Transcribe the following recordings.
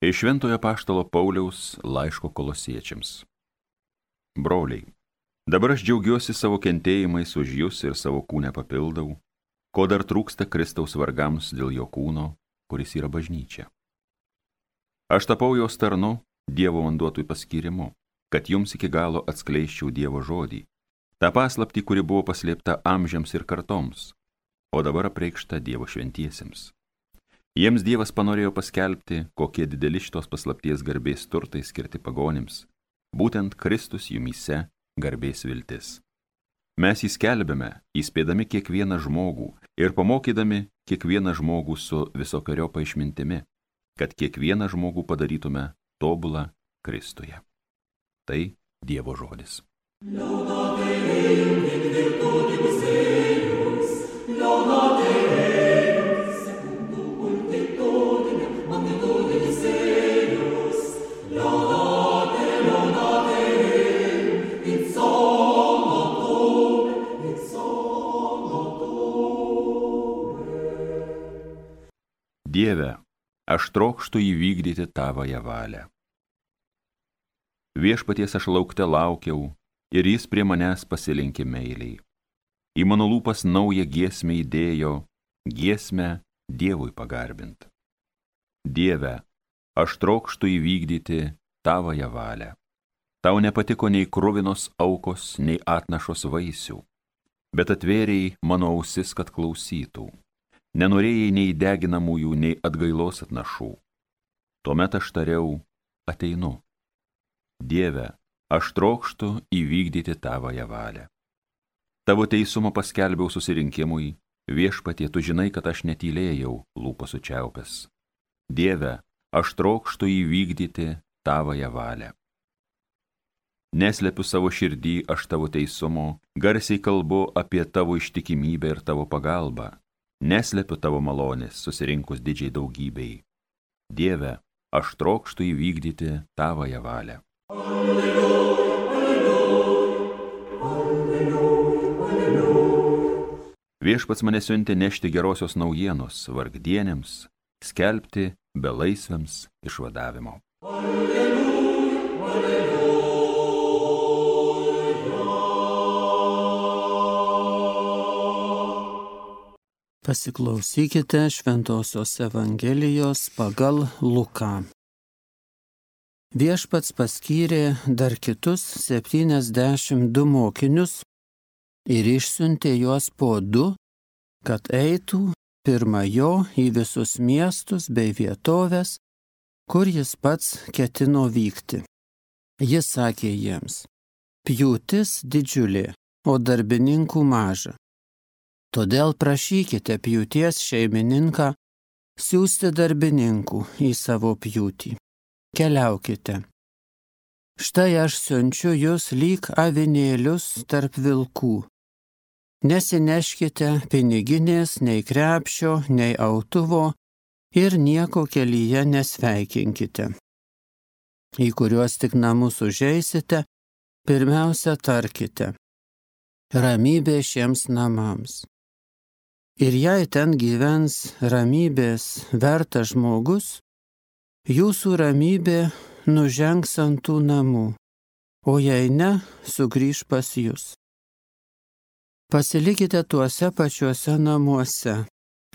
Iš Šventojo apaštalo Pauliaus laiško Kolosiečiams. Broliai, dabar aš džiaugiuosi savo kentėjimais už jus ir savo kūnę papildau, ko dar trūksta Kristaus vargams dėl jo kūno, kuris yra bažnyčia. Aš tapau jos tarnu Dievo man duotui paskyrimu, kad jums iki galo atskleisčiau Dievo žodį, tą paslaptį, kuri buvo paslėpta amžiams ir kartoms, o dabar apreikšta Dievo šventiesiems. Jiems Dievas panorėjo paskelbti, kokie dideli šitos paslapties garbės turtai skirti pagonims, būtent Kristus jumyse garbės viltis. Mes jį skelbėme, įspėdami kiekvieną žmogų ir pamokydami kiekvieną žmogų su visokiojopa išmintimi, kad kiekvieną žmogų padarytume tobulą Kristuje. Tai Dievo žodis. Dieve, aš trokštu įvykdyti tavąją valią. Viešpaties aš laukte laukiau ir jis prie manęs pasilenkė meiliai. Į mano lūpas naują giesmę įdėjo, giesmę Dievui pagarbint. Dieve, aš trokštu įvykdyti tavąją valią. Tau nepatiko nei kruvinos aukos, nei atnašos vaisių, bet atvėrėjai mano ausis, kad klausytų. Nenorėjai nei deginamųjų, nei atgailos atnašų. Tuomet aš tariau, ateinu. Dieve, aš trokštu įvykdyti tavąją valią. Tavo teisumą paskelbiau susirinkimui, viešpatie, tu žinai, kad aš netylėjau lūpas sučiaupęs. Dieve, aš trokštu įvykdyti tavąją valią. Neslepiu savo širdį aš tavo teisumo, garsiai kalbu apie tavo ištikimybę ir tavo pagalbą. Neslepiu tavo malonės, susirinkus didžiai daugybei. Dieve, aš trokštu įvykdyti tavąją valią. Alleluja, alleluja, alleluja, alleluja. Viešpats mane siuntė nešti gerosios naujienos vargdienėms, skelbti belaisviams išvadavimo. Alleluja, alleluja. Pasiklausykite Šventosios Evangelijos pagal Luką. Viešpats paskyrė dar kitus 72 mokinius ir išsiuntė juos po 2, kad eitų pirma jo į visus miestus bei vietovės, kur jis pats ketino vykti. Jis sakė jiems, pjūtis didžiulė, o darbininkų maža. Todėl prašykite pjūties šeimininką siųsti darbininkų į savo pjūtį. Keliaukite. Štai aš siunčiu jūs lyg avinėlius tarp vilkų. Nesineškite piniginės, nei krepšio, nei autuvo ir nieko kelyje nesveikinkite. Į kuriuos tik namus užeisite, pirmiausia tarkite. Ramybė šiems namams. Ir jei ten gyvens ramybės vertas žmogus, jūsų ramybė nužengs ant tų namų, o jei ne, sugrįš pas jus. Pasilikite tuose pačiuose namuose,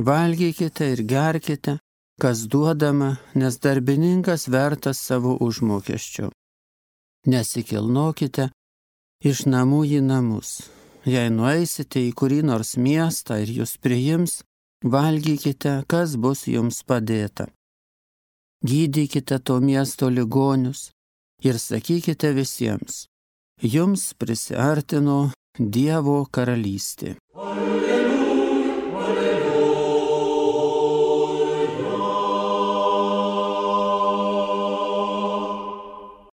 valgykite ir gerkite, kas duodama, nes darbininkas vertas savo užmokesčio. Nesikilnokite iš namų į namus. Jei nueisite į kurį nors miestą ir jūs priims, valgykite, kas bus jums padėta. Gydykite to miesto ligonius ir sakykite visiems, jums prisiartino Dievo karalystė. Alleluja, alleluja.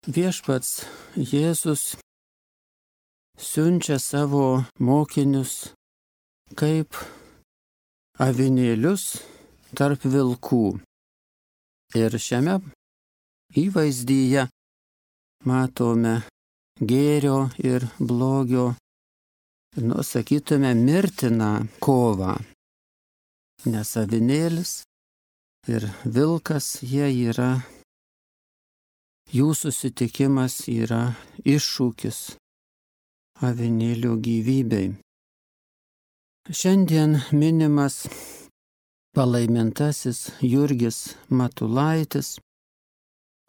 Viešpats Jėzus siunčia savo mokinius kaip avinėlius tarp vilkų. Ir šiame įvaizdyje matome gėrio ir blogio, sakytume, mirtiną kovą. Nes avinėlis ir vilkas, jie yra jų susitikimas yra iššūkis avinėlio gyvybei. Šiandien minimas palaimintasis Jurgis Matulaitis.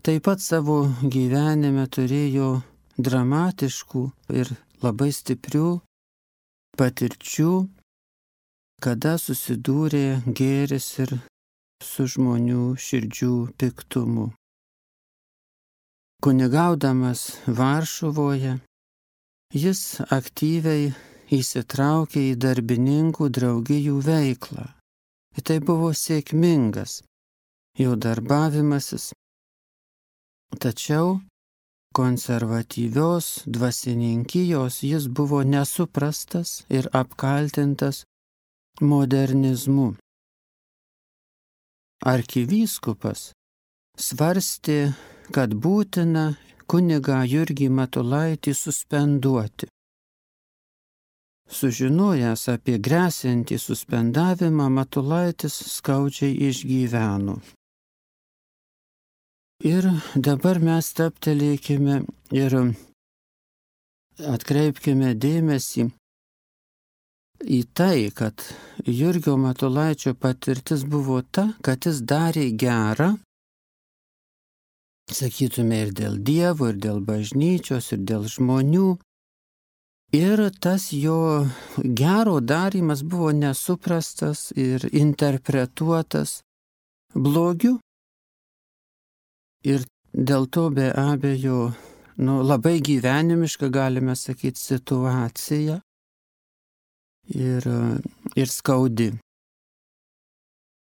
Taip pat savo gyvenime turėjo dramatiškų ir labai stiprių patirčių, kada susidūrė gėris ir su žmonių širdžių piktumu. Kunigaudamas Varšuvoje, jis aktyviai įsitraukė į darbininkų draugijų veiklą. Ir tai buvo sėkmingas jo darbavimasis. Tačiau konservatyvios dvasininkijos jis buvo nesuprastas ir apkaltintas modernizmu. Arkivyskupas svarstė, kad būtina kunigą Jurgį Matulaitį suspenduoti. Sužinojęs apie gresiantį suspendavimą, Matulaitis skaudžiai išgyveno. Ir dabar mes stabtelėkime ir atkreipkime dėmesį į tai, kad Jurgio Matulaičio patirtis buvo ta, kad jis darė gerą, sakytume, ir dėl Dievo, ir dėl bažnyčios, ir dėl žmonių. Ir tas jo gero darymas buvo nesuprastas ir interpretuotas blogiu. Ir dėl to be abejo, labai gyvenimiška, galime sakyti, situacija ir skaudi.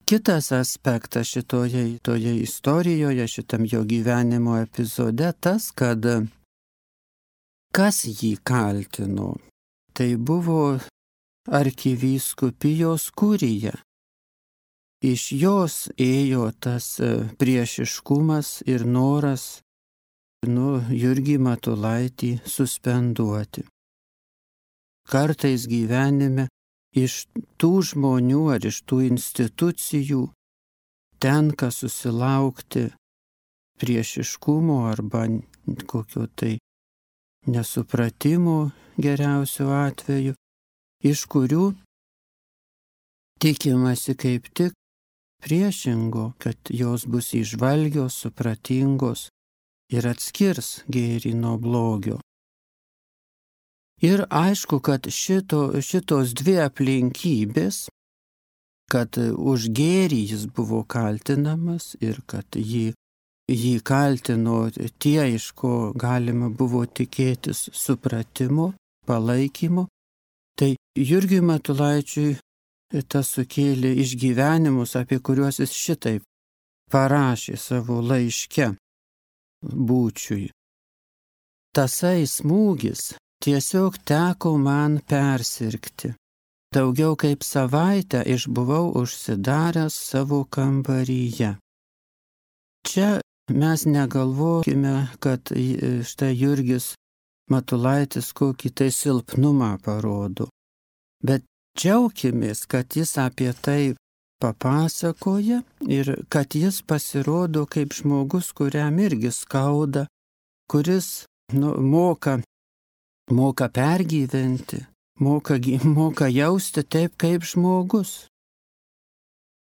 Kitas aspektas šitoje istorijoje, šitam jo gyvenimo epizode, tas, kad kas jį kaltino, tai buvo arkivyskupijos kurija. Iš jos ėjo tas priešiškumas ir noras Jurgį Matulaitį suspenduoti. Kartais gyvenime iš tų žmonių ar iš tų institucijų tenka susilaukti priešiškumo arba kokio tai nesupratimo geriausiu atveju, iš kurių tikimasi kaip tik priešingo, kad jos bus įžvalgios, supratingos ir atskirs gėrį nuo blogio. Ir aišku, kad šitos dvi aplinkybės, kad už gėrį jis buvo kaltinamas ir kad jį kaltino tie, iš ko galima buvo tikėtis supratimo, palaikymo, tai Jurgiui Matulaičiui tas sukėlė išgyvenimus, apie kuriuos jis šitaip parašė savo laiške Būčiui. Tasai smūgis tiesiog teko man persirgti. Daugiau kaip savaitę išbuvau užsidaręs savo kambaryje. Čia mes negalvokime, kad štai Jurgis Matulaitis kokį tai silpnumą parodo, bet džiaukimės, kad jis apie tai papasakoja ir kad jis pasirodo kaip žmogus, kuriam irgi skauda, kuris moka pergyventi, moka jausti taip kaip žmogus,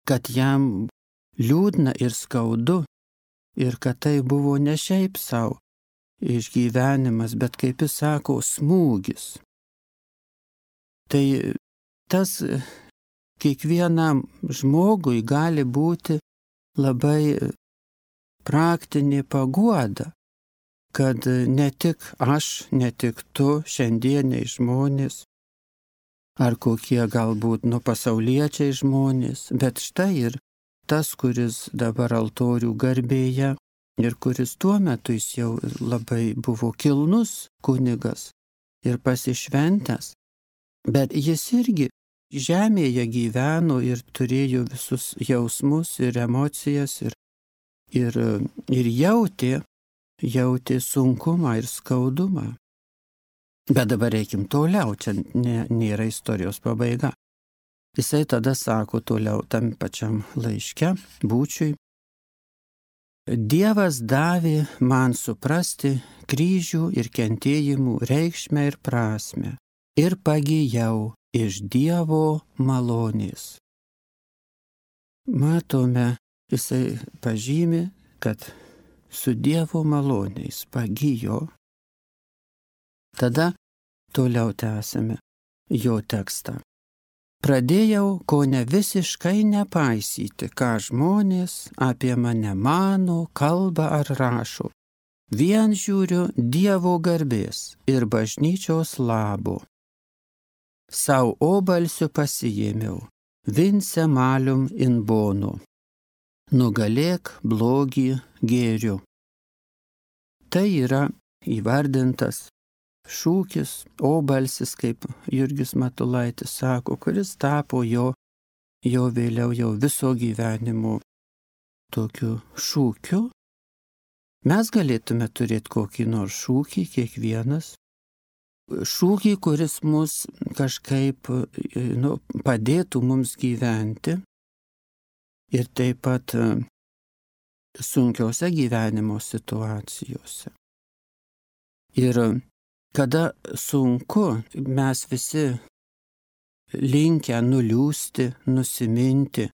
kad jam liūdna ir skaudu ir kad tai buvo ne šiaip savo išgyvenimas, bet kaip jis sako, smūgis. Tai tas kiekvienam žmogui gali būti labai praktinė paguoda, kad ne tik aš, ne tik tu, šiandieniai žmonės, ar kokie galbūt pasauliečiai žmonės, bet štai ir tas, kuris dabar altorių garbėje ir kuris tuo metu jis jau labai buvo kilnus kunigas ir pasišventęs, bet jis irgi žemėje gyveno ir turėjo visus jausmus ir emocijas ir jautė sunkumą ir skaudumą. Bet dabar reikim toliau, čia nėra istorijos pabaiga. Jisai tada sako toliau tam pačiam laiške Būčiui: Dievas davė man suprasti kryžių ir kentėjimų reikšmę ir prasme ir pagijau iš Dievo malonės. Matome, jisai pažymi, kad su Dievo maloniais pagijo. Tada toliau tęsime jo tekstą. Pradėjau kone visiškai nepaisyti, ką žmonės apie mane mano, kalba ar rašo. Vien žiūriu Dievo garbės ir bažnyčios labo. Sau obalsiu pasiėmiau, vince malium in bono. Nugalėk blogį gėriu. Tai yra įvardintas šūkis, obalsis, kaip Jurgis Matulaitis sako, kuris tapo jo vėliau jau viso gyvenimo tokiu šūkiu. Mes galėtume turėti kokį nors šūkį, kiekvienas. Šūkį, kuris mus kažkaip padėtų mums gyventi ir taip pat sunkiose gyvenimo situacijose. Ir kada sunku, mes visi linkę nuliūsti, nusiminti,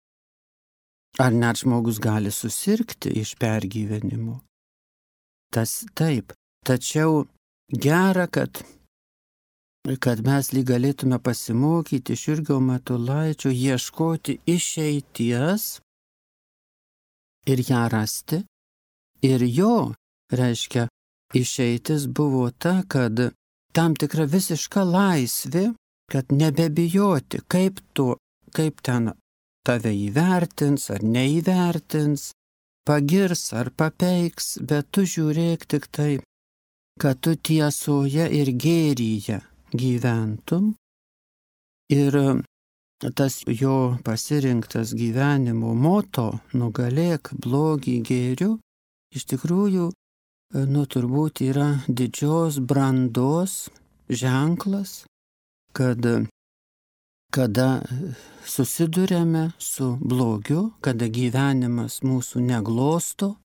ar net žmogus gali susirgti iš pergyvenimo. Tas taip, tačiau gera, kad mes lyg galėtume pasimokyti iš Jurgio Matulaičio, ieškoti išeities ir ją rasti. Ir jo, reiškia, išeitis buvo ta, kad tam tikra visiška laisvė, kad nebebijoti, kaip ten tave įvertins ar neįvertins, pagirs ar papeiks, bet tu žiūrėk tik tai, kad tu tiesoje ir gėryje gyventum. Ir tas jo pasirinktas gyvenimo moto, nugalėk blogį gėriu, iš tikrųjų, turbūt yra didžios brandos ženklas, kada susiduriame su blogiu, kada gyvenimas mūsų neglosto,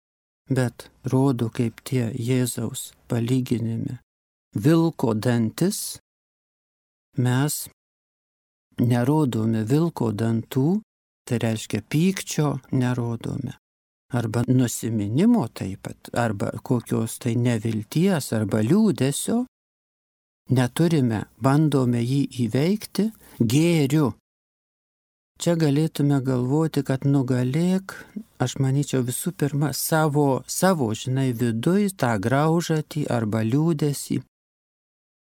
bet rodo kaip tie Jėzaus palyginime vilko dantis, mes nerodome vilko dantų, tai reiškia pykčio nerodome. Arba nusiminimo taip pat, arba kokios tai nevilties, arba liūdesio, neturime, bandome jį įveikti gėriu. Čia galėtume galvoti, kad nugalėk, aš manyčiau visų pirma, savo viduj tą graužatį arba liūdesį,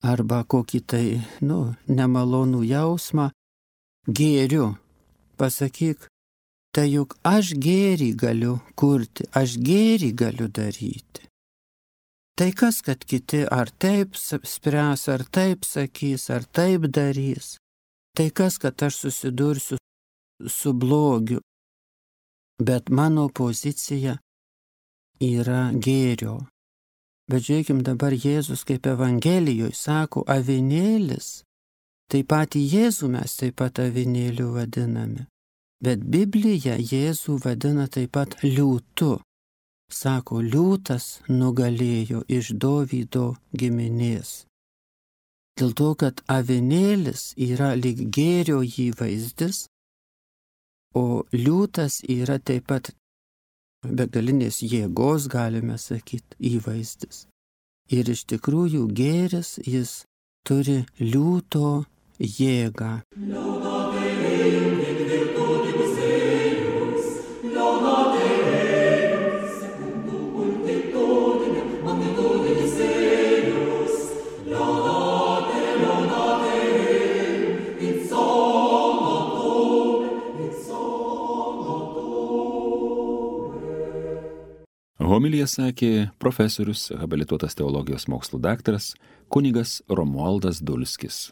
arba kokį tai, nemalonų jausmą gėriu. Pasakyk, tai juk aš gėrį galiu kurti, aš gėrį galiu daryti. Tai kas, kad kiti ar taip spręs, ar taip sakys, ar taip darys. Tai kas, kad aš susidursiu su blogiu. Bet mano pozicija yra gėrio. Bet žiūrėkim dabar Jėzus kaip Evangelijoje sako avinėlis. Taip pat Jėzų mes taip pat avinėliu vadiname. Bet Biblija Jėzų vadina taip pat liūtu. Sako, liūtas nugalėjo iš Dovydo giminės. Dėl to, kad avinėlis yra lyg gėrio įvaizdis, o liūtas yra taip pat begalinės jėgos, galime sakyti, įvaizdis. Ir iš tikrųjų gėris, jis turi liūto jėgą. Homiliją sakė profesorius, habilituotas teologijos mokslų daktaras, kunigas Romualdas Dulskis.